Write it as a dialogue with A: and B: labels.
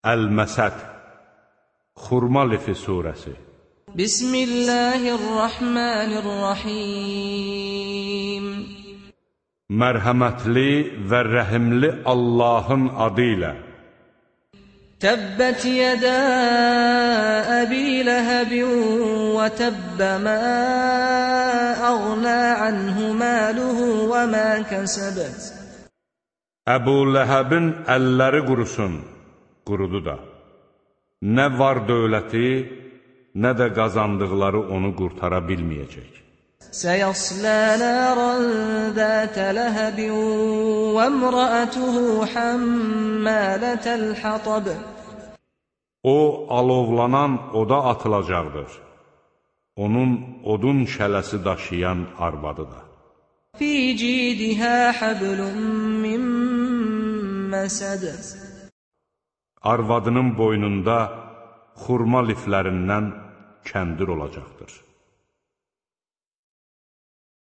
A: Əl-Məsəd Xurma lifi surəsi.
B: Bismillahirrahmanirrahim.
A: Mərhəmətli və rəhimli Allahın adı ilə.
B: Təbbət yədə Əbi Ləhəbin və təbbə mə əğnə anhu məluhu və mə kəsəbət.
A: Əbu Ləhəbin əlləri qurusun, qurudu da. Nə var dövləti, nə də qazandıqları onu qurtara bilməyəcək.
B: Səyaslə nərən zətə ləhəbin və əmrəətuhu həmmələtəl xatab.
A: O, alovlanan oda atılacaqdır. Onun odun şələsi daşıyan arvadı da.
B: Fi cidihə həblun min məsəd.
A: Arvadının boynunda xurma liflərindən kəndir olacaqdır.